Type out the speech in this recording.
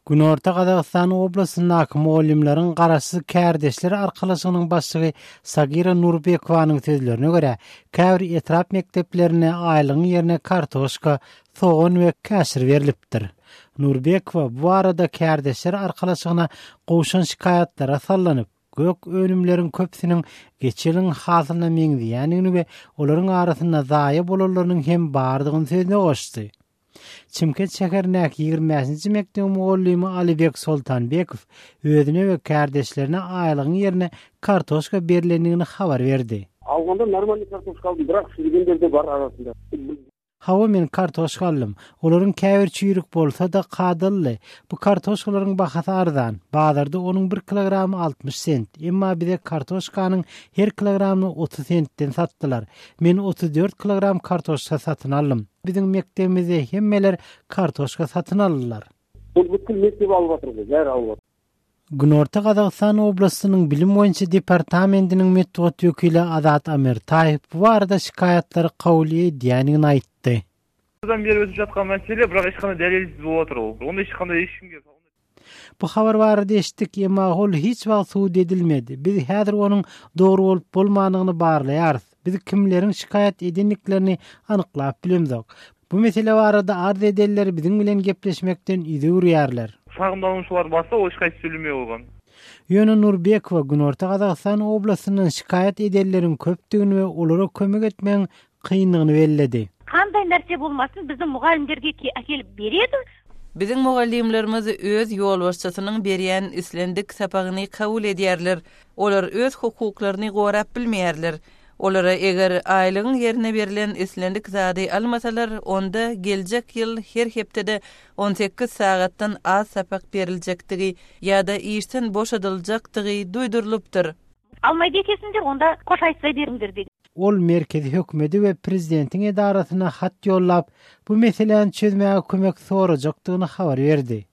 Günorta Gazagystan oblastyndaky mugallymlaryň garaşsyz kärdeşler arkalaşygynyň başlygy Sagira Nurbekowanyň sözlerine görä, käbir etrap mekdeplerinde aýlygyň ýerine kartoşka, sogan we käşir berlipdir. Nurbekowa bu barada kärdeşler arkalaşygyna gowşan şikaýatlara sallanyp, gök önümleriň köpüsiniň geçen ýylyň hasylyna meňzeýändigini we olaryň arasynda zaýa bolanlarynyň hem bardygyny sözüne goşdy. Çimkent şäherindäki 25-nji mekdebiň mugallymy Alibek Soltanbekow özüne we kärdeşlerine aýlygyň ýerine kartoşka berlendigini habar berdi. Alganda normalnyý kartoşka aldym, birak şirigenler-de bar arasynda. Hawa, men kartoşka aldym. Olaryň käbir çüýrük bolsa-da, kadalydy. Bu kartoşkalaryň bahasy arzan. Bazarda onuň bir kilogramy 60 sent. Emma bize kartoşkanyň her kilogramyny 30 sentden satdylar. Men 34 kilogram kartoşka satyn aldym. Biziň mekdebimizde hemmeler kartoşka satyn aldylar. Ol bütkül mekdep alyp atyrdy, bäri alyp atyr. Günorta Gazagystan oblastynyň bilim boýunça departamentiniň metbugat wekili Azat Amirtaýew bu barada şikaýatlary kabul edýändigini aýtdy. Жылдан бері өтіп жатқан мәселе, бірақ ешқандай дәлелсіз болып отыр ол. Онда ешқандай ешкімге Bu habar barada eşitdik, emma ol hiç wagt subut edilmedi. Biz häzir onuň dogry bolup-bolmandygyny barlaýarys. Biz kimleriň şikaýat edendiklerini anyklap bilemzok. Bu mesele barada arz edenler biziň bilen gepleşmekden ýüz öwürýärler. Şagymlanuşylar barsa, ol şikaýat söýlemey goýgan. Ýöne Nurbekowa Günorta Gazagystan oblastyndan şikaýat edenleriň köpdügini we olara kömek etmegiň kyndygyny belledi. Kanday närse bolmasyn biziň mugallimlerge äkelip beredi. Biziň mugallymlarymyz öz ýolbaşçysynyň berýän islendik sapagyny kabul edýärler. Olar öz hukuklaryny gorap bilmeýärler. Olara eger aýlygyň ýerine berlen islendik zady almasalar, onda geljek ýyl her hepdede 18 sagatdan az sapak beriljekdigi ýa-da işden boşadyljakdygy duýdurylypdyr. Almaýdy ekesiňder, onda koş aýtsa beriňdir diýdi. Ol merkezi hökümede we prezidentiň edarasyna hat ýollap, bu meseläni çözmäge kömek sorajakdygyny habar berdi.